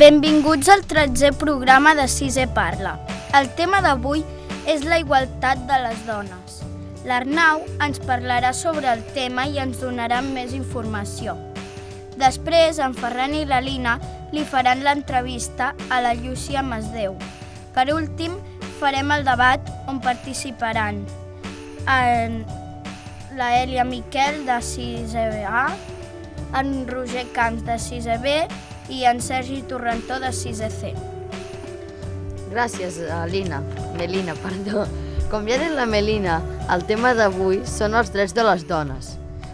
Benvinguts al 13è programa de 6è Parla. El tema d'avui és la igualtat de les dones. L'Arnau ens parlarà sobre el tema i ens donarà més informació. Després, en Ferran i la Lina li faran l'entrevista a la Llúcia Masdeu. Per últim, farem el debat on participaran la Èlia Miquel de 6è A, en Roger Camps de 6è B i en Sergi Torrentó de 6è C. Gràcies, Melina. Com ja ha dit la Melina, el tema d'avui són els drets de les dones.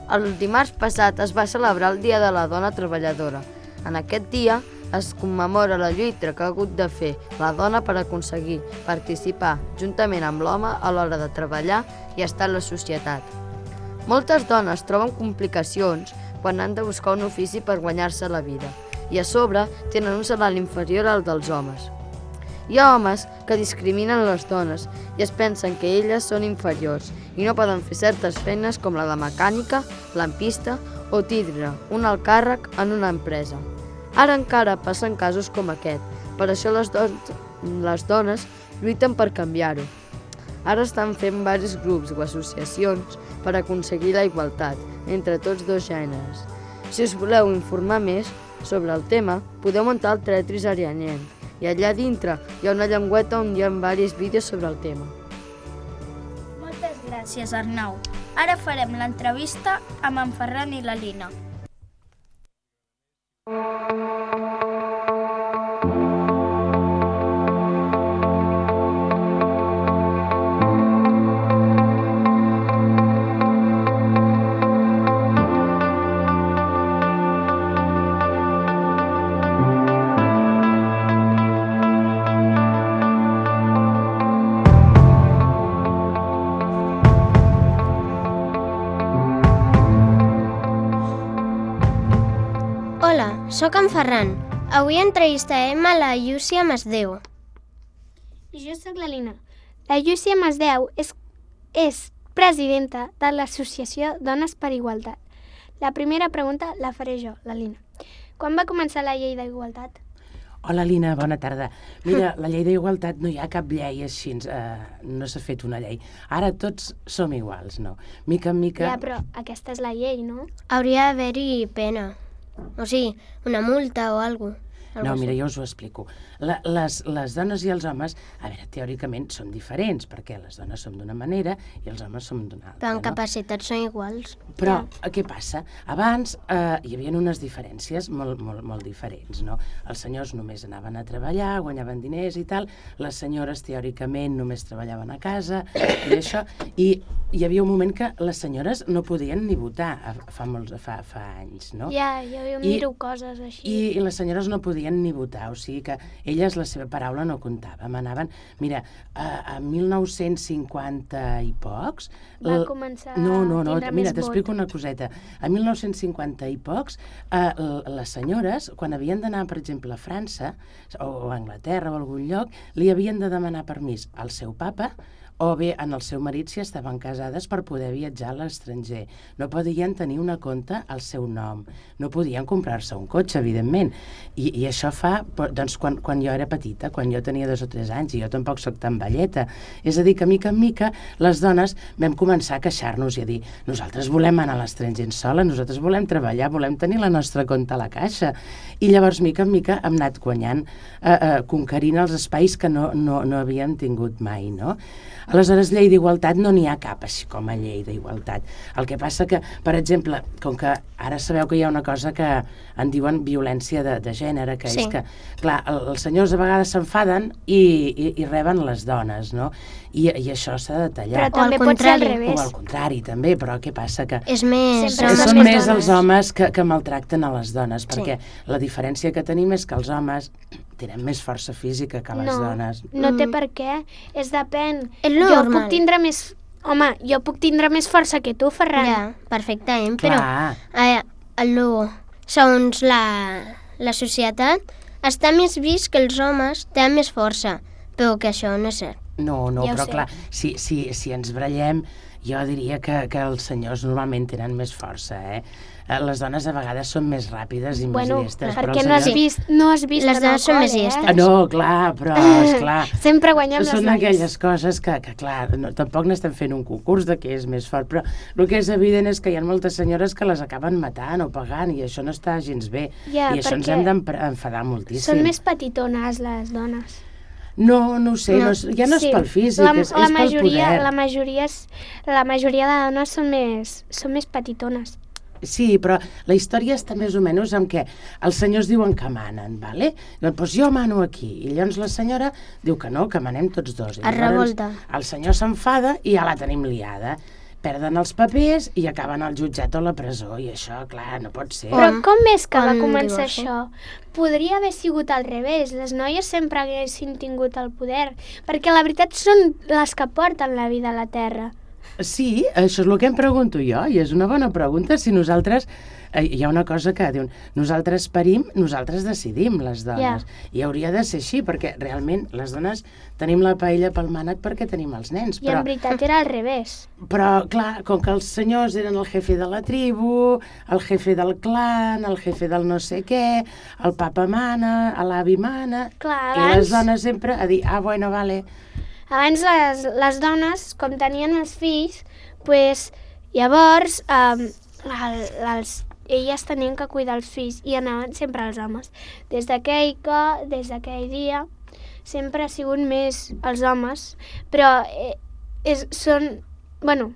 El dimarts passat es va celebrar el Dia de la Dona Treballadora. En aquest dia es commemora la lluita que ha hagut de fer la dona per aconseguir participar juntament amb l'home a l'hora de treballar i estar a la societat. Moltes dones troben complicacions quan han de buscar un ofici per guanyar-se la vida i a sobre tenen un salari inferior al dels homes. Hi ha homes que discriminen les dones i es pensen que elles són inferiors i no poden fer certes feines com la de mecànica, lampista o tindre un alt càrrec en una empresa. Ara encara passen casos com aquest, per això les dones lluiten per canviar-ho. Ara estan fent diversos grups o associacions per aconseguir la igualtat entre tots dos gèneres. Si us voleu informar més sobre el tema, podeu muntar el Tetris Arianyenc i allà dintre hi ha una llengüeta on hi ha diversos vídeos sobre el tema. Moltes gràcies, Arnau. Ara farem l'entrevista amb en Ferran i la Lina. Hola, sóc en Ferran. Avui entrevistarem a la Llúcia Masdeu. I jo sóc la Lina. La Llúcia Masdeu és presidenta de l'Associació Dones per Igualtat. La primera pregunta la faré jo, la Lina. Quan va començar la llei d'igualtat? Hola, Lina, bona tarda. Mira, la llei d'igualtat no hi ha cap llei així, no s'ha fet una llei. Ara tots som iguals, no? Mica en mica... Ja, però aquesta és la llei, no? Hauria d'haver-hi pena. O sigui, una multa o alguna cosa. No, mira, jo us ho explico. Les dones i els homes, a veure, teòricament són diferents, perquè les dones som d'una manera i els homes som d'una altra, Però en no? capacitats són iguals. Però què passa? Abans hi havia unes diferències molt diferents, no? Els senyors només anaven a treballar, guanyaven diners i tal, les senyores teòricament només treballaven a casa i això, i hi havia un moment que les senyores no podien ni votar fa anys, no? Ja, jo miro coses així. I les senyores no podien ni votar, o sigui que elles la seva paraula no comptava. Manaven, mira, a 1950 i pocs... Va començar a tindre mira, més t'explico vot. una coseta. A 1950 i pocs, les senyores, quan havien d'anar, per exemple, a França o a Anglaterra o a algun lloc, li havien de demanar permís al seu papa o bé en el seu marit si estaven casades per poder viatjar a l'estranger. No podien tenir una compte al seu nom. No podien comprar-se un cotxe, evidentment. I això fa, doncs, quan jo era petita, quan jo tenia 2 o 3 anys, i jo tampoc sóc tan velleta. És a dir, que mica en mica les dones vam començar a queixar-nos i a dir nosaltres volem anar a l'estranger sola, nosaltres volem treballar, volem tenir la nostra compte a la caixa. I llavors, mica en mica, hem anat guanyant, conquerint els espais que no havíem tingut mai, no? Aleshores, llei d'igualtat no n'hi ha cap així com a llei d'igualtat. El que passa que, per exemple, com que ara sabeu que hi ha una cosa que en diuen violència de gènere, que és que, clar, els senyors a vegades s'enfaden i reben les dones, no? I això s'ha de tallar. Però també pot ser al revés. O al contrari, també, però què passa? Que És més... són més els homes que maltracten a les dones, perquè la diferència que tenim és que els homes tenen més força física que les dones. No té per què, és depèn. És Jo normal. puc tindre més... Home, jo puc tindre més força que tu, Ferran. Ja, perfectament, Clar. però segons la societat està més vist que els homes tenen més força, però que això no és cert. No, Ja ho però sé. clar, si ens barallem, Jo diria que els senyors normalment tenen més força, Les dones a vegades són més ràpides i més llestes. Perquè però no els has vist Les dones són més llestes. No, clar, però, esclar... Sempre guanyem les Són dones. aquelles coses que clar, tampoc n'estem fent un concurs de què és més fort, però el que és evident és que hi ha moltes senyores que les acaben matant o pagant, i això no està gens bé. Ja, I això ens perquè hem d'enfadar moltíssim. Són més petitones, les dones. No ho sé, ja no és pel físic, és pel poder. La majoria de dones són més petitones. Sí, però la història està més o menys en què els senyors diuen que manen, vale? Doncs jo mano aquí, i llavors la senyora diu que no, que manem tots dos. Es revolta. El senyor s'enfada i ja la tenim liada. Perden els papers i acaben al jutjat o a la presó, i això, clar, no pot ser. Però com és que va Com començar divorci. això? Podria haver sigut al revés. Les noies sempre haguessin tingut el poder, perquè la veritat són les que porten la vida a la terra. Sí, això és el que em pregunto jo, i és una bona pregunta. Si nosaltres... hi ha una cosa que diuen, nosaltres parim, nosaltres decidim, les dones. I hauria de ser així, perquè realment les dones tenim la paella pel mànec perquè tenim els nens. I en veritat era al revés. Però, clar, com que els senyors eren el jefe de la tribu, el jefe del clan, el jefe del no sé què, el papa mana, l'avi mana... Clar, I les dones sempre a dir, bueno, vale... Abans les dones, com tenien els fills, pues, llavors elles tenien que cuidar els fills i anaven sempre els homes. Des d'aquell dia, sempre ha sigut més els homes, però bueno,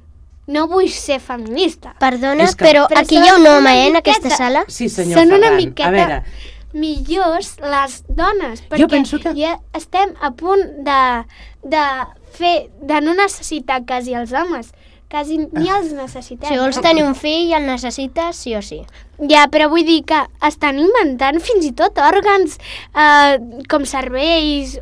no vull ser feminista. Perdona, És que- però Però aquí són hi ha un una home, en aquesta miqueta. sala. Sí, senyor Són una Ferran. miqueta A veure, millors les dones, Jo perquè penso que- ja estem a punt de no necessitar quasi els homes. Quasi ni els necessitem. Si vols tenir un fill, el necessites sí o sí. Ja, però vull dir que estan inventant fins i tot òrgans com cervells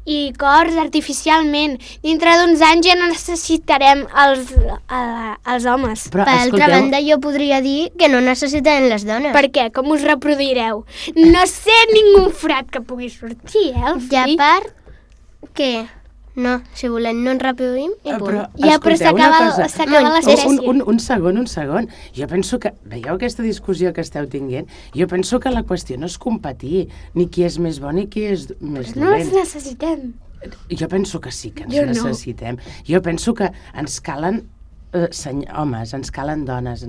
i cors artificialment. Dintre d'uns anys ja no necessitarem els homes. però Per altra escolteu, banda, jo podria dir que no necessitem les dones. Per què? Com us reproduireu? No sé ningú frat que pugui sortir, el I a fill. part, que no, si volem no ens reproduïm i punt. però Ja, però escolteu una cosa. s'acaba l'espècie. Un segon. Jo penso que, veieu aquesta discussió que esteu tinguent? Jo penso que la qüestió no és competir, ni qui és més bo ni qui és més No els dolent. necessitem. Jo penso que sí que ens Jo no. necessitem. Jo penso que ens calen homes, ens calen dones,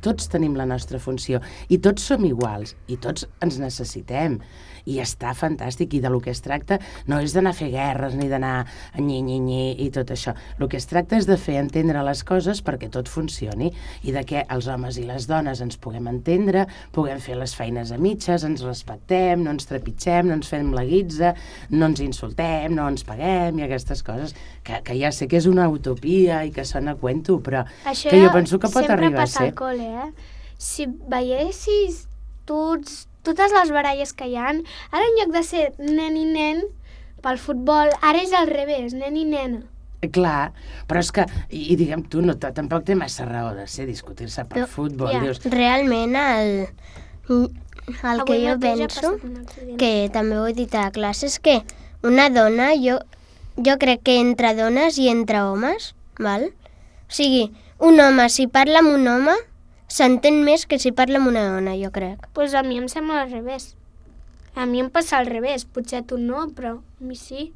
tots tenim la nostra funció i tots som iguals i tots ens necessitem i està fantàstic, i de lo que es tracta no és d'anar a fer guerres ni d'anar a nyi i tot això. El que es tracta és de fer entendre les coses perquè tot funcioni i de que els homes i les dones ens puguem entendre, puguem fer les feines a mitges, ens respectem, no ens trepitgem, no ens fem la guitza, no ens insultem, no ens paguem i aquestes coses que ja sé que és una utopia i que sona a cuento, però Això que jo penso que pot arribar a sempre passa ser. al col·le, Si veiessis totes les baralles que hi ha, ara en lloc de ser nen i nen pel futbol, ara és al revés, nen i nena. Clar, però és que, i diguem tu, no, tampoc té massa raó de ser discutir-se per Però, futbol, ja. dius, Realment, el que Avui jo mateix ha penso, passat un accident. que també ho he dit a la classe, és que una dona, jo crec que entre dones i entre homes, val? O sigui, un home, si parla amb un home, s'entén més que si parla amb una dona, jo crec. Pues a mi em sembla al revés. A mi em passa al revés, potser a tu no, però a mi sí.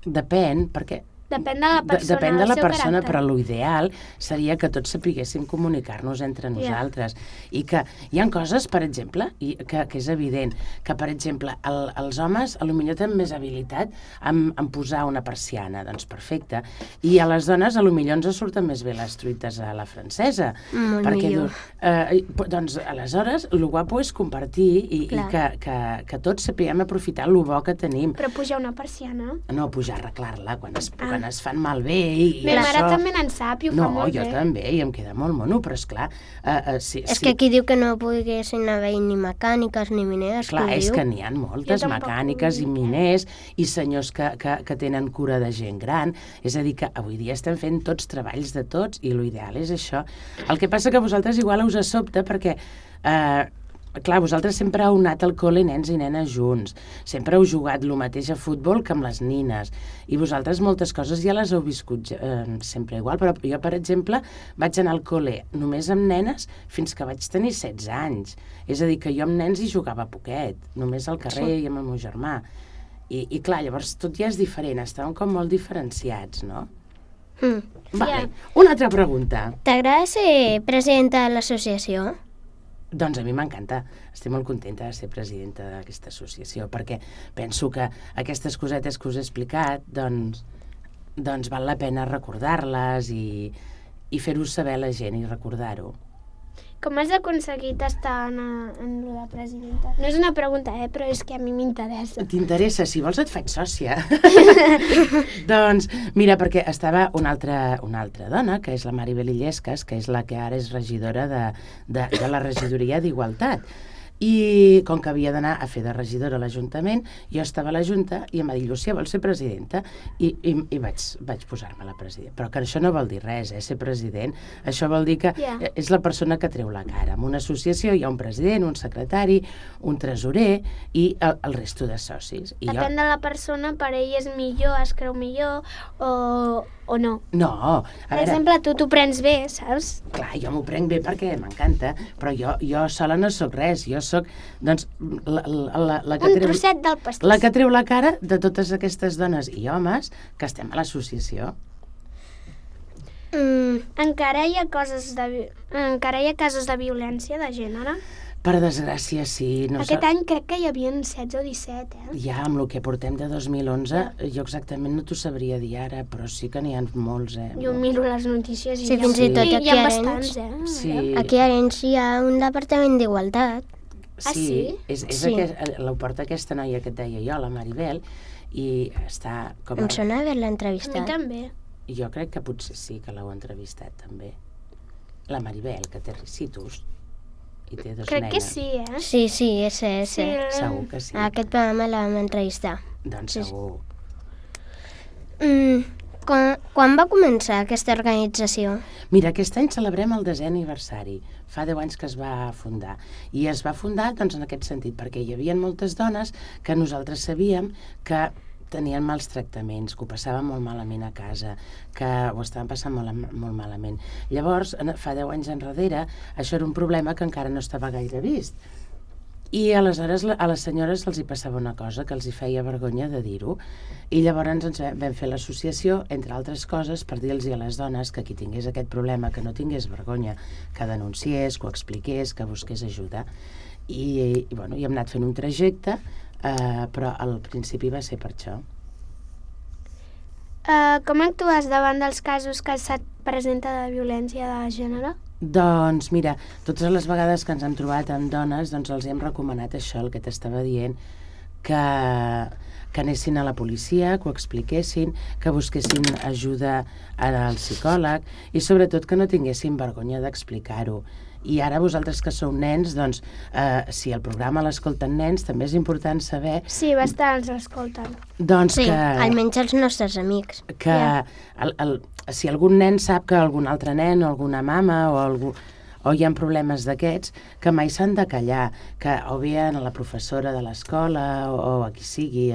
depèn, perquè Depèn de la persona, depèn de del la seu persona, caràcter. però l'ideal seria que tots sapiguéssim comunicar-nos entre nosaltres. I que hi ha coses, per exemple, que és evident, que, per exemple, els homes potser tenen més habilitat en posar una persiana, doncs perfecte, i a les dones potser ens surten més bé les truites a la francesa. Molt perquè millor. doncs, aleshores, el guapo és compartir i que tots sapiguem aprofitar el bo que tenim. Però pujar una persiana. No, pujar, arreglar-la quan es fan malbé i Ma mare això... també n'en sap i ho fa molt jo bé. també, i em queda molt mono, però esclar... És que aquí diu que no poguessin haver ni mecàniques ni mineres, Clar, que ho és diu. que n'hi ha moltes Jo tampoc mecàniques i ho dic, miners i senyors que tenen cura de gent gran. És a dir, que avui dia estem fent tots treballs de tots i l'ideal és això. El que passa que a vosaltres igual us sobta perquè clar, vosaltres sempre heu anat al col·le nens i nenes junts, sempre heu jugat el mateix a futbol que amb les nines, i vosaltres moltes coses ja les heu viscut sempre igual, però jo, per exemple, vaig anar al col·le només amb nenes fins que vaig tenir 16 anys. És a dir, que jo amb nens hi jugava poquet, només al carrer i amb el meu germà. I clar, llavors tot ja és diferent, estàvem com molt diferenciats, no? Vale. Una altra pregunta. T'agrada ser presidenta de l'associació? Doncs a mi m'encanta, estic molt contenta de ser presidenta d'aquesta associació, perquè penso que aquestes cosetes que us he explicat, doncs val la pena recordar-les i fer-ho saber a la gent i recordar-ho. Com has aconseguit estar en lo de presidenta? No és una pregunta, però és que a mi m'interessa. T'interessa? Si vols et faig sòcia. Doncs, mira, perquè estava una altra dona, que és la Maribel Illescas, que és la que ara és regidora de la regidoria d'Igualtat. I com que havia d'anar a fer de regidora a l'Ajuntament, jo estava a la Junta i em va dir, Llucia, vols ser presidenta? I vaig posar-me la presidenta. Però que això no vol dir res, ser president. Això vol dir que és la persona que treu la cara. En una associació hi ha un president, un secretari, un tresorer i el resto de socis. Depèn de la persona, per ell és millor, es creu millor o no. No. Per exemple, tu t'ho prens bé, saps? Clar, jo m'ho prenc bé perquè m'encanta, però jo sola no sóc res, jo sóc, doncs, la que trosset del pastís. La que treu la cara de totes aquestes dones i homes que estem a l'associació. Encara hi ha casos de violència de gènere? Per desgràcia, sí. Aquest any crec que hi havia 16 o 17, Ja, amb el que portem de 2011, jo exactament no t'ho sabria dir ara, però sí que n'hi ha molts, Jo miro les notícies i fins i tot aquí hi ha bastants, Sí. Aquí a Arenys hi ha un departament d'igualtat. Sí? És la porta aquesta noia que et deia jo, la Maribel, i està com... Em sona haver-la A entrevistat. mi també. Jo crec que potser sí que l'heu entrevistat, també. La Maribel, que té ricitus i té dos Crec nenes. que sí, Sí, és. Segur que sí. A aquest programa la vam entrevistar. Doncs segur. Quan va començar aquesta organització? Mira, aquest any celebrem el 10è aniversari. Fa 10 anys que es va fundar. I es va fundar doncs, en aquest sentit, perquè hi havia moltes dones que nosaltres sabíem que tenien mals tractaments, que ho passaven molt malament a casa, que ho estaven passant molt malament. Llavors, fa 10 anys enrere, això era un problema que encara no estava gaire vist. I aleshores a les senyores els hi passava una cosa, que els hi feia vergonya de dir-ho. I llavors ens vam fer l'associació, entre altres coses, per dir-los a les dones que qui tingués aquest problema, que no tingués vergonya, que denunciés, que ho expliqués, que busqués ajuda. I hem anat fent un trajecte, però al principi va ser per això. Com actues davant dels casos que se't presenta de violència de gènere? Doncs mira, totes les vegades que ens hem trobat amb dones, doncs els hem recomanat això, el que t'estava dient, que anessin a la policia, que ho expliquessin, que busquessin ajuda al psicòleg i sobretot que no tinguessin vergonya d'explicar-ho. I ara vosaltres que sou nens, doncs, si el programa l'escolten nens, també és important saber... Sí, bastants l'escolten. Doncs sí, que... almenys els nostres amics. Que si algun nen sap que algun altre nen o alguna mama o hi ha problemes d'aquests, que mai s'han de callar, que o bé a la professora de l'escola o a qui sigui,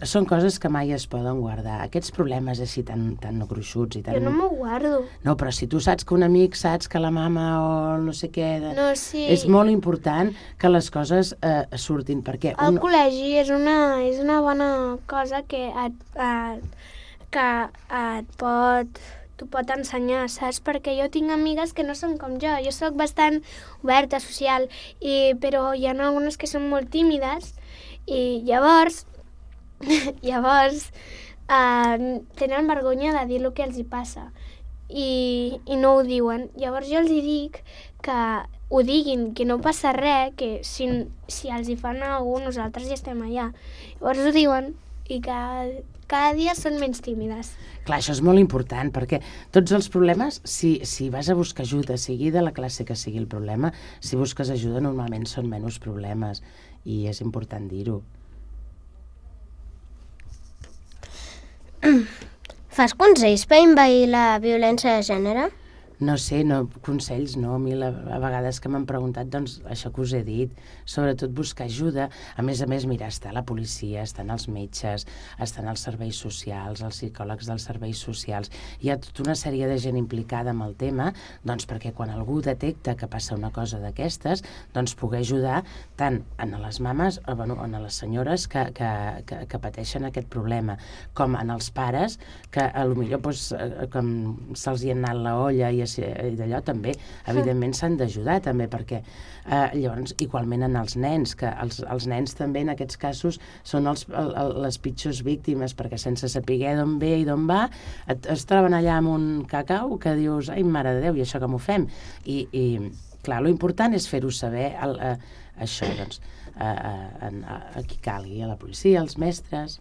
són coses que mai es poden guardar. Aquests problemes així tan gruixuts i tan... Jo no m'ho guardo. No, però si tu saps que un amic saps que la mama o no sé què... No, sí. És molt important que les coses surtin, perquè... El col·legi és una bona cosa que t'ho pot ensenyar, saps? Perquè jo tinc amigues que no són com jo sóc bastant oberta, social, però hi ha algunes que són molt tímides i llavors tenen vergonya de dir el que els hi passa i no ho diuen. Llavors jo els hi dic que ho diguin, que no passa res, que si els hi fan a algú nosaltres ja estem allà. Llavors ho diuen i cada dia són menys tímides. Clar, això és molt important, perquè tots els problemes, si vas a buscar ajuda, sigui de la classe que sigui el problema, si busques ajuda normalment són menys problemes i és important dir-ho. Fas consells per envair la violència de gènere? No sé, consells no, a mi a vegades que m'han preguntat, doncs això que us he dit, sobretot buscar ajuda. A més, mira, està la policia, estan els metges, estan els serveis socials, els psicòlegs dels serveis socials. Hi ha tota una sèrie de gent implicada amb el tema, doncs perquè quan algú detecta que passa una cosa d'aquestes, doncs poder ajudar tant a les mames, a les senyores que pateixen aquest problema, com en els pares, que potser doncs, com se'ls hi ha anat la olla i d'allò també, evidentment s'han d'ajudar també, perquè llavors igualment en els nens, que els nens també en aquests casos són les pitjors víctimes, perquè sense saber d'on ve i d'on va es troben allà amb un cacau que dius, ai mare de Déu, i això com ho fem? I clar, lo important és fer-ho saber això, doncs a qui calgui, a la policia, als mestres.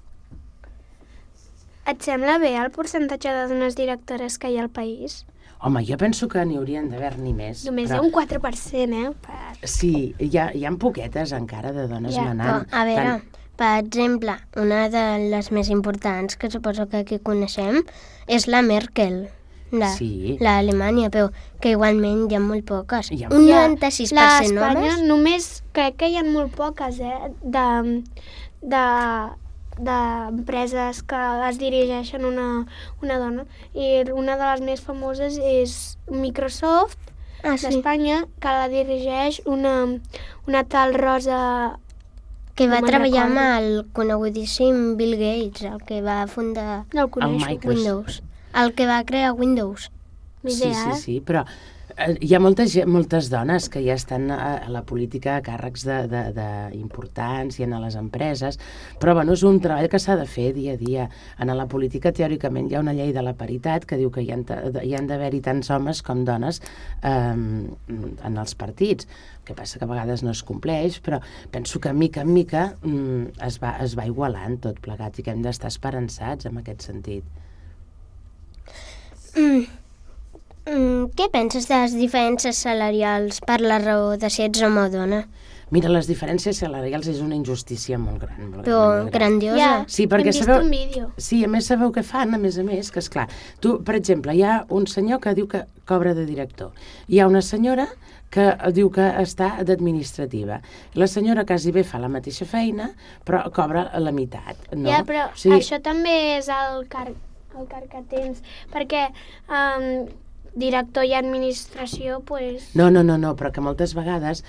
Et sembla bé el percentatge de dones directores que hi ha al país? Home, jo penso que n'hi haurien d'haver-n'hi més. Només hi ha un 4%, Sí, hi ha poquetes encara de dones manant. A veure, per exemple, una de les més importants, que suposo que aquí coneixem, és la Merkel, l'Alemanya, però que igualment hi ha molt poques. Un 96% homes. L'Espanya només crec que hi ha molt poques, d'empreses que es dirigeixen una dona, i una de les més famoses és Microsoft d'Espanya, que la dirigeix una tal Rosa, que va treballar amb el conegudíssim Bill Gates, el que va fundar Windows, el que va crear Windows. Sí, però hi ha moltes dones que ja estan a la política a càrrecs importants i a les empreses, però és un treball que s'ha de fer dia a dia. En la política, teòricament, hi ha una llei de la paritat que diu que hi han d'haver-hi tants homes com dones en els partits. El que passa que a vegades no es compleix, però penso que mica en mica es va igualant tot plegat i que hem d'estar esperançats en aquest sentit. Què penses de les diferències salarials per la raó de si ets home o dona? Mira, les diferències salarials és una injustícia molt gran. Però grandiosa. Sí, perquè hem vist un vídeo. Sí, a més sabeu què fan, a més, que esclar, tu, per exemple, hi ha un senyor que diu que cobra de director. Hi ha una senyora que diu que està d'administrativa. La senyora quasi bé fa la mateixa feina, però cobra la meitat. No? Ja, però això també és el càrrec que tens, perquè director i administració, doncs... No, però que moltes vegades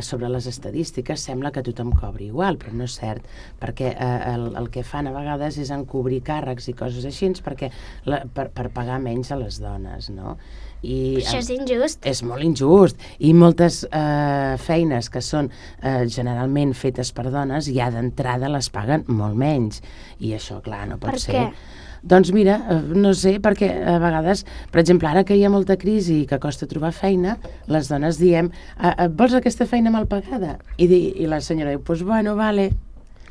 sobre les estadístiques sembla que tothom cobri igual, però no és cert, perquè el que fan a vegades és encobrir càrrecs i coses així per pagar menys a les dones, no? Això és injust. És molt injust, i moltes feines que són generalment fetes per dones ja d'entrada les paguen molt menys, i això, clar, no pot ser. Per què? Doncs mira, no sé, perquè a vegades, per exemple, ara que hi ha molta crisi i que costa trobar feina, les dones diem, vols aquesta feina mal pagada? I la senyora diu, doncs bueno, vale.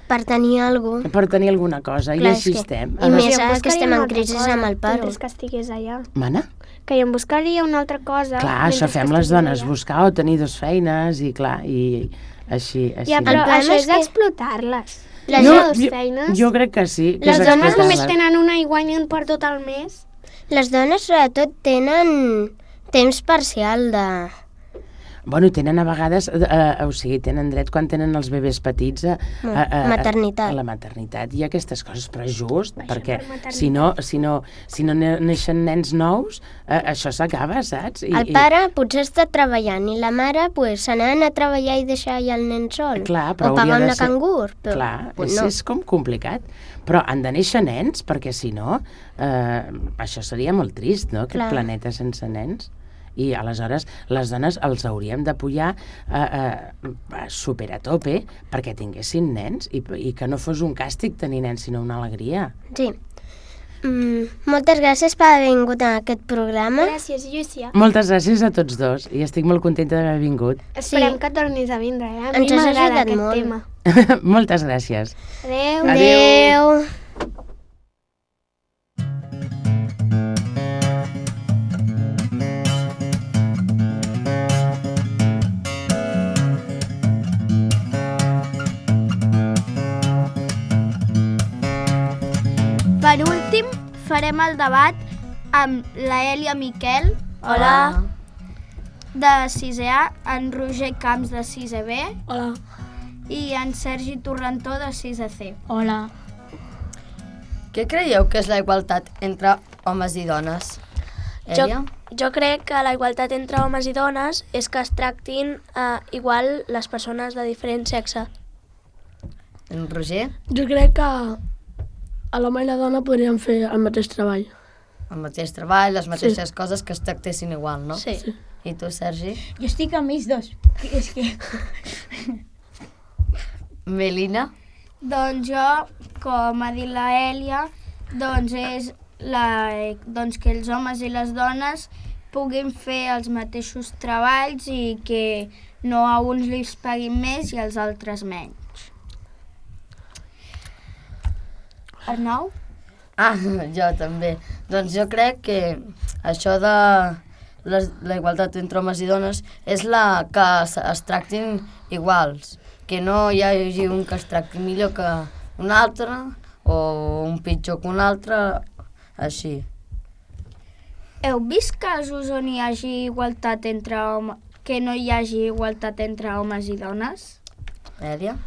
Per tenir alguna cosa. Per tenir alguna cosa, i així estem. I més ara que estem en crisi amb el paro. Mentre que estigués allà. Mana? Que em buscaria una altra cosa. Clar, això fem les dones, buscar o tenir dues feines, i clar, i així. Ja, però això és explotar-les. Jo crec que sí. Les dones només tenen una i guanyen per tot el mes. Les dones sobretot tenen temps parcial de... Bueno, tenen a vegades, o sigui, tenen dret quan tenen els bebès petits a la maternitat i aquestes coses, però just, perquè si no neixen nens nous, això s'acaba, saps? El pare potser està treballant i la mare se n'ha d'anar a treballar i deixar allà el nen sol. Clar, o pagar una cangur. Clar, és com complicat. Però han de néixer nens, perquè si no, això seria molt trist, no?, aquest planeta sense nens. I aleshores les dones els hauríem de pujar super a tope perquè tinguessin nens i que no fos un càstig tenir nens, sinó una alegria. Sí. Moltes gràcies per haver vingut a aquest programa. Gràcies, Llucia. Moltes gràcies a tots dos i estic molt contenta d'haver vingut. Esperem que tornis a vindre, A mi m'agrada aquest tema. Moltes gràcies. Adéu. Per últim, farem el debat amb la Èlia Miquel, Hola. De 6è A, en Roger Camps de 6è B Hola. i en Sergi Torrentó de 6è C. Hola. Què creieu que és la igualtat entre homes i dones? Èlia? Jo crec que la igualtat entre homes i dones és que es tractin igual les persones de diferent sexe. En Roger? Jo crec que l'home i la dona podrien fer el mateix treball. El mateix treball, les mateixes coses, que es tractessin igual, no? Sí. I tu, Sergi? Jo estic amb ells dos. És que... Melina? Doncs jo, com ha dit la Èlia, doncs és que els homes i les dones puguin fer els mateixos treballs i que no a uns li paguin més i als altres menys. Arnau? Jo també. Doncs jo crec que això de la igualtat entre homes i dones és la que es tractin iguals, que no hi hagi un que es tracti millor que un altre o un pitjor que un altre, així. Heu vist casos on hi hagi igualtat entre homes, que no hi hagi igualtat entre homes i dones? Èlia?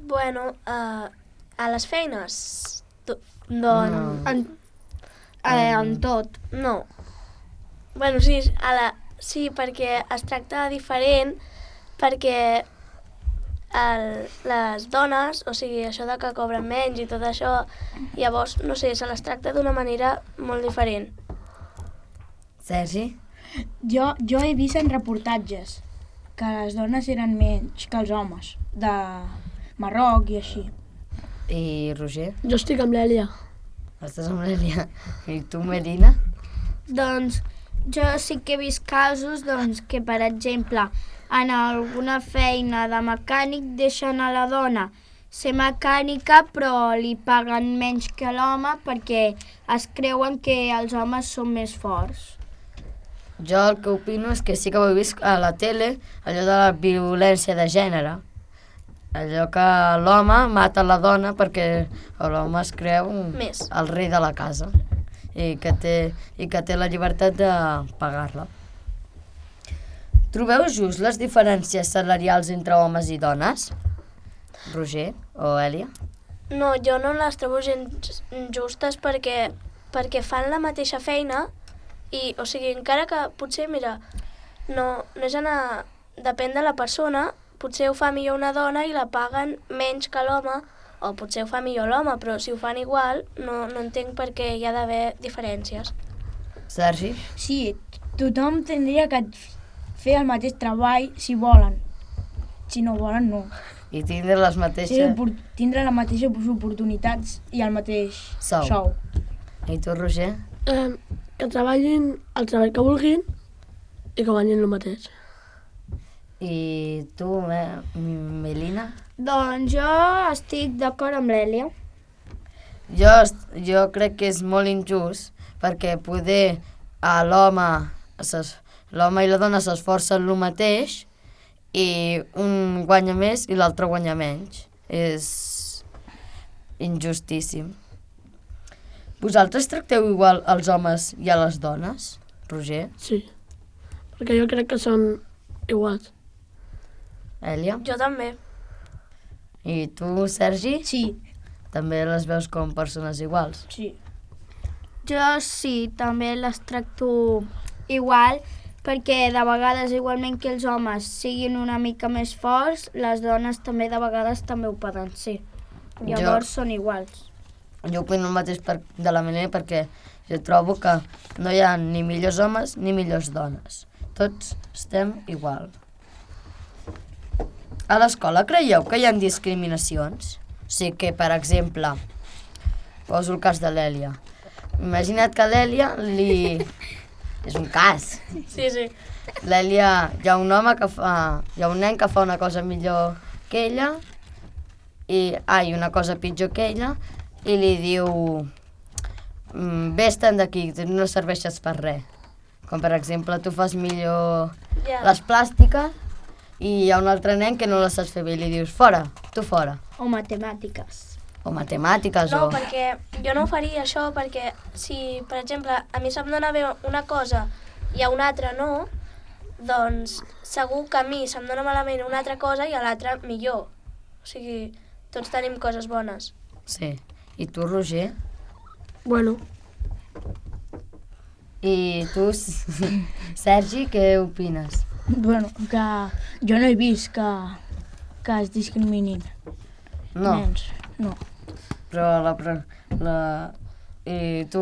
Bueno, a les feines, Doncs en tot. no. Bueno, sí, sí, perquè es tracta diferent, perquè les dones, o sigui, això de que cobren menys i tot això, llavors, no sé, se les tracta d'una manera molt diferent. Sergi? Jo he vist en reportatges que les dones eren menys que els homes, de Marroc i així. I Roger? Jo estic amb l'Èlia. Estàs amb l'Èlia. I tu, Melina? Doncs jo sí que he vist casos que, per exemple, en alguna feina de mecànic deixen a la dona ser mecànica però li paguen menys que l'home perquè es creuen que els homes són més forts. Jo el que opino és que sí que ho he vist a la tele, allò de la violència de gènere. Allò que l'home mata la dona perquè l'home es creu Més. el rei de la casa i que té la llibertat de pagar-la. Trobeu just les diferències salarials entre homes i dones? Roger o Èlia? No, jo no les trobo gens justes perquè fan la mateixa feina i, o sigui, encara que potser, mira, no és depèn de la persona, potser ho fa millor una dona i la paguen menys que l'home, o potser ho fa millor l'home, però si ho fan igual, no entenc per què hi ha d'haver diferències. Sergi? Sí, tothom tindria que fer el mateix treball si volen. Si no volen, no. I tindre les mateixes... Sí, tindre les mateixes oportunitats i el mateix sou. I tu, Roger? Que treballin el treball que vulguin i que guanyin el mateix. I tu, Melina? Doncs jo estic d'acord amb l'Èlia. Jo crec que és molt injust perquè poder l'home i la dona s'esforcen el mateix i un guanya més i l'altre guanya menys. És injustíssim. Vosaltres tracteu igual als homes i a les dones, Roger? Sí, perquè jo crec que són iguals. Èlia? Jo també. I tu, Sergi? Sí, També les veus com persones iguals? sí. Jo sí, també les tracto igual, perquè de vegades, igualment que els homes siguin una mica més forts, les dones també de vegades també ho poden ser. Llavors són iguals. Jo opino el mateix de la Melina perquè jo trobo que no hi ha ni millors homes ni millors dones. Tots estem igual. A l'escola creieu que hi ha discriminacions? O sigui que, per exemple, poso el cas de l'Èlia. Imagina't que a l'Èlia és un cas. Sí, sí. L'Èlia, hi ha un nen que fa una cosa millor que ella i una cosa pitjor que ella i li diu vés-te'n d'aquí, no serveixes per res. Com per exemple, tu fas millor les plàstiques i hi ha un altre nen que no les saps fer bé i li dius fora, tu fora. O matemàtiques. O matemàtiques No, o... perquè jo no ho faria això, perquè si, per exemple, a mi se'm dona bé una cosa i a un altre no, doncs segur que a mi se'm dona malament una altra cosa i a l'altre millor. O sigui, tots tenim coses bones. Sí. I tu, Roger? Bueno, I tu, Sergi, què opines? Bueno, que jo no he vist que es discriminin No, nens. No, però I tu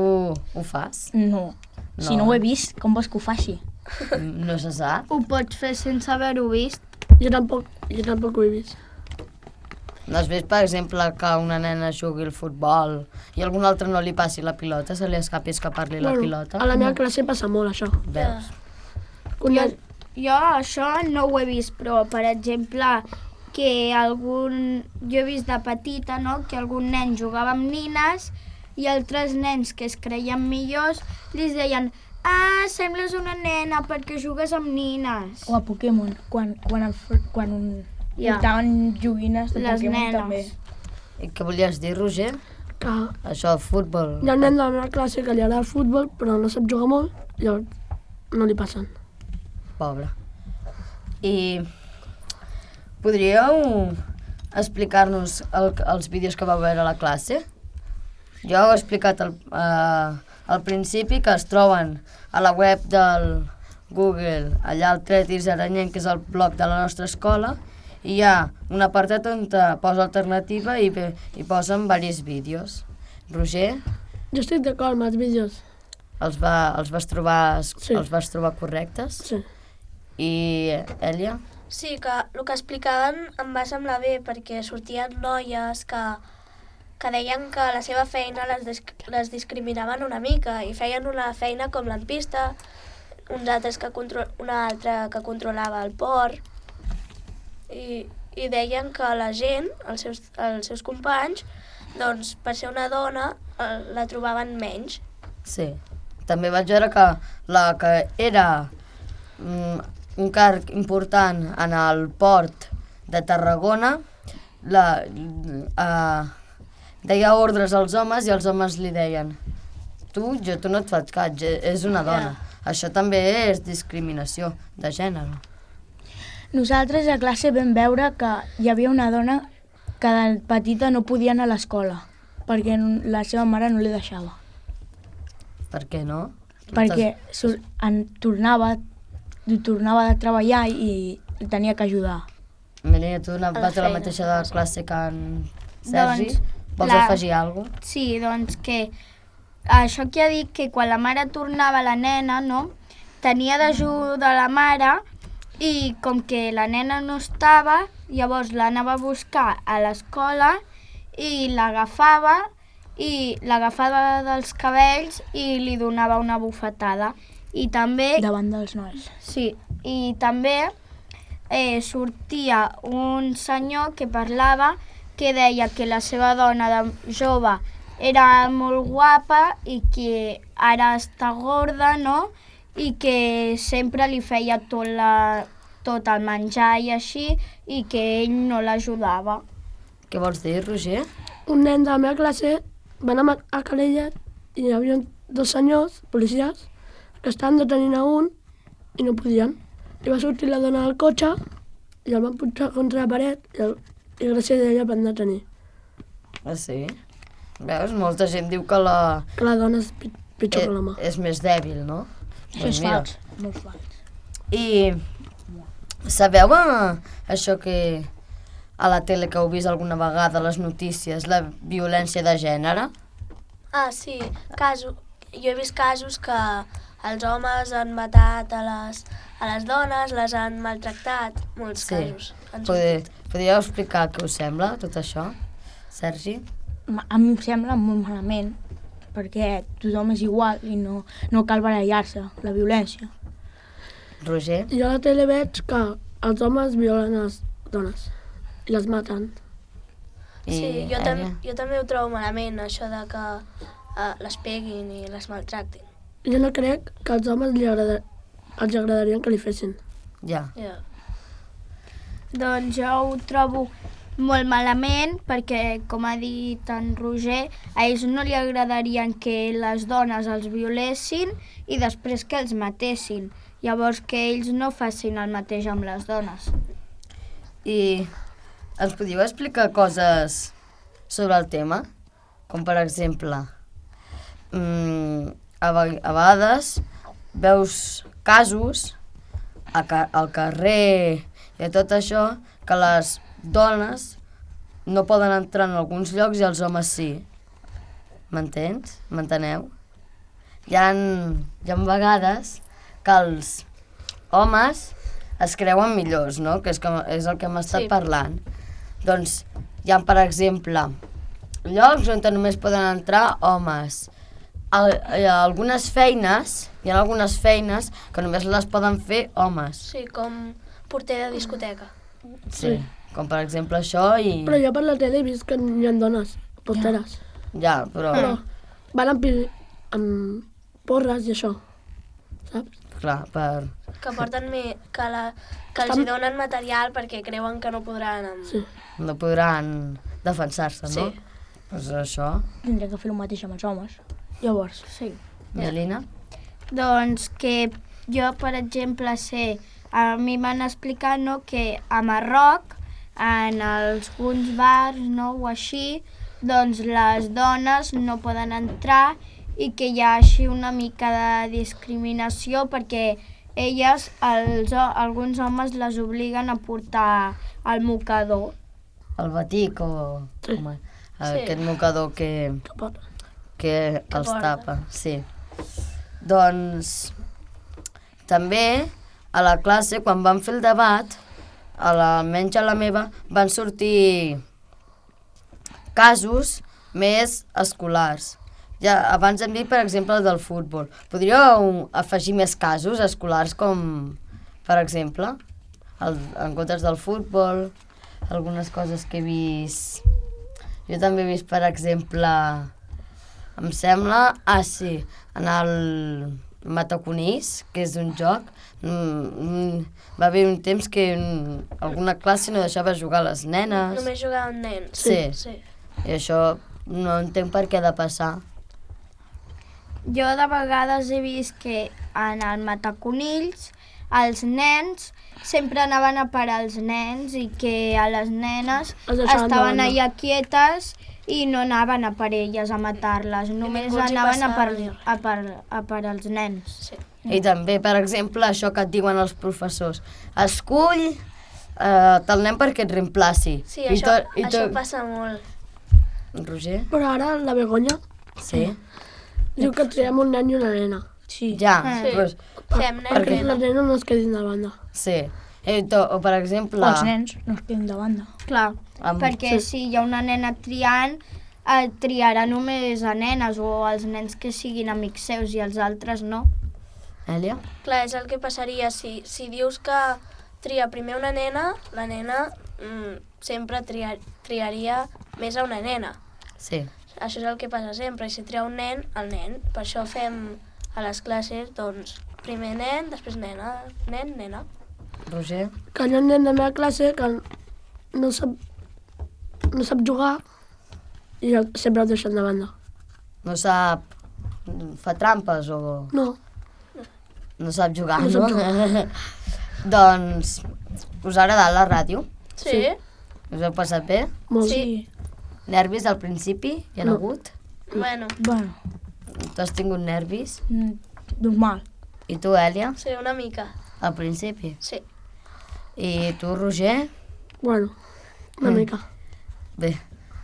ho fas? no. Si no ho he vist, com vols que ho faci? No se sap? Ho pots fer sense haver-ho vist. jo tampoc ho he vist. No has vist, per exemple, que una nena jugui al futbol i algun altre no li passi la pilota, se li escapi escapar-li la pilota? A la meva classe passa molt, això. Veus? Un nen- Jo això no ho he vist, però, per exemple, que jo he vist de petita, no?, que algun nen jugava amb nines i altres nens que es creien millors li deien sembles una nena perquè jugues amb nines. O a Pokémon, quan Ja. portaven joguines de Les Pokémon nenes. també. I què volies dir, Roger? Que Això, el futbol. hi ha un nen de la meva classe que li agrada el futbol, però no sap jugar molt, llavors no li passen. Pobre. I podríeu explicar-nos els vídeos que vau veure a la classe? Jo heu explicat al principi que es troben a la web del Google, allà al Tretis Aranyent, que és el blog de la nostra escola, i hi ha un apartat on te posa alternativa i posen diversos vídeos. Roger, Jo estic d'acord amb els vídeos. els vas trobar Sí. els vas trobar correctes? Sí. I Èlia? Sí, que el que explicaven em va semblar bé perquè sortien noies que deien que la seva feina les discriminaven una mica i feien una feina com lampista, una altra que controlava el port i deien que la gent, els seus companys, doncs per ser una dona la trobaven menys. Sí. També vaig veure que la que era un càrrec important en el port de Tarragona deia ordres als homes i els homes li deien tu no et faig cas, és una dona. Això també és discriminació de gènere. Nosaltres a classe vam veure que hi havia una dona que de petita no podia anar a l'escola perquè la seva mare no li deixava. Per què no? Perquè tornava de treballar i tenia que ajudar. Melina, tu vas a la mateixa de classe que en Sergi? Vols afegir alguna cosa? Sí, doncs que això que ha dit que quan la mare tornava la nena, no?, tenia d'ajudar la mare i com que la nena no estava, llavors l'anava a buscar a l'escola i l'agafava dels cabells i li donava una bufetada. I també... Davant dels nois. Sí, i també sortia un senyor que parlava que deia que la seva dona de jove era molt guapa i que ara està gorda, no?, i que sempre li feia tot el menjar i així i que ell no l'ajudava. Què vols dir, Roger? Un nen de la meva classe va anar a Calella i hi havia dos senyors, policies, que estaven detenint a un i no podien. I va sortir la dona del cotxe i el van pujar contra la paret i gràcies a ella el van detenir. Ah, sí? Veus? Molta gent diu que la Que la dona és pitjor que l'home. és més dèbil, no? Això és fals, molt fals. I sabeu això que a la tele que heu vist alguna vegada, les notícies, la violència de gènere? Ah, sí, jo he vist casos que els homes han matat a les dones, les han maltractat, molts casos. Podríeu explicar què us sembla, tot això, Sergi? A mi em sembla molt malament, perquè tothom és igual i no cal barallar-se, la violència. Roger? Jo a la tele veig que els homes violen les dones i les maten. Sí, jo també ho trobo malament, això de que les peguin i les maltractin. Jo no crec que als homes els agradarien que li fessin. Ja. Doncs jo ho trobo molt malament perquè, com ha dit en Roger, a ells no li agradarien que les dones els violessin i després que els matessin. Llavors que ells no facin el mateix amb les dones. I ens podíeu explicar coses sobre el tema? Com per exemple, a vegades veus casos al carrer i tot això que les dones no poden entrar en alguns llocs i els homes sí. M'entens? M'enteneu? Hi ha vegades que els homes es creuen millors, no? Que és el que hem estat parlant. Doncs hi ha, per exemple, llocs on només poden entrar homes. Hi ha algunes feines que només les poden fer homes. Sí, com porter de discoteca. Sí, com per exemple això i... Però jo per la tele he vist que hi ha dones porteres. Ja, però... Van amb porres i això, saps? Clar, per... Que porten que els hi donen material perquè creuen que no podran... Sí. No podran defensar-se, no? Sí. Doncs això... Tindria que fer el mateix amb els homes. Llavors, Sí. I Alina? Doncs que jo, per exemple, sé, a mi m'han explicat, no, que a Marroc, en alguns bars, no, o així, doncs les dones no poden entrar i que hi ha així una mica de discriminació perquè elles, alguns homes les obliguen a portar el mocador. El batic o... Sí. Aquest mocador que els porta. tapa, sí. Doncs també a la classe, quan vam fer el debat, almenys a la meva, van sortir casos més escolars. Ja, abans hem dit, per exemple, el del futbol. Podríeu afegir més casos escolars com, per exemple, en comptes del futbol, algunes coses que he vist... Jo també he vist, per exemple, em sembla, en el Mataconís, que és un joc, va haver un temps que alguna classe no deixava jugar les nenes. Només jugaven nens. Sí. I això no entenc per què ha de passar. Jo de vegades he vist que en el Mataconills els nens sempre anaven a parar els nens i que a les nenes estaven allà quietes i no anaven a per elles a matar-les, només ningú els hi anaven passava a per els nens. Sí. I també, per exemple, això que et diuen els professors. Escull tal nen perquè et reemplaci. Sí, això passa molt. Roger? Però ara la Begoña Sí? diu que triem un nen i una nena. sí. Ja, Sí. doncs, Fem nen, Perquè nena. les nenes no es quedin de banda. sí. O, per exemple... O els nens no es queden de banda. Clar, perquè si hi ha una nena triant, triarà només a nenes o als nens que siguin amics seus i els altres no. Èlia? Clar, és el que passaria. Si dius que tria primer una nena, la nena sempre triaria més a una nena. Sí. Això és el que passa sempre. I si tria un nen, el nen. Per això fem a les classes, doncs, primer nen, després nena, nen, nena. Roger? Que hi ha un nen de la meva classe que no sap jugar i sempre el deixen de banda. No sap... Fa trampes o... No. No sap jugar, No no? sap Doncs, us ha agradat la ràdio? Sí. Us heu passat bé? Molt. Sí. Nervis al principi? Hi ha No. hagut? Bueno, Bueno, Tu has tingut nervis? normal. I tu, Èlia? sí, una mica. Al principi? Sí. I tu, Roger? Bueno, una mica. Bé,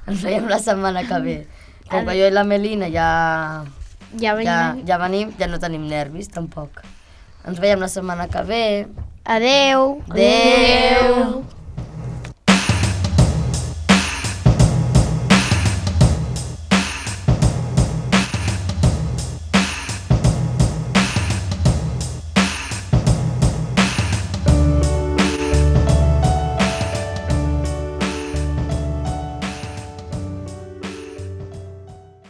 ens veiem la setmana que ve. Com que jo i la Melina ja venim, ja no tenim nervis, tampoc. Ens veiem la setmana que ve. Adeu! Adeu!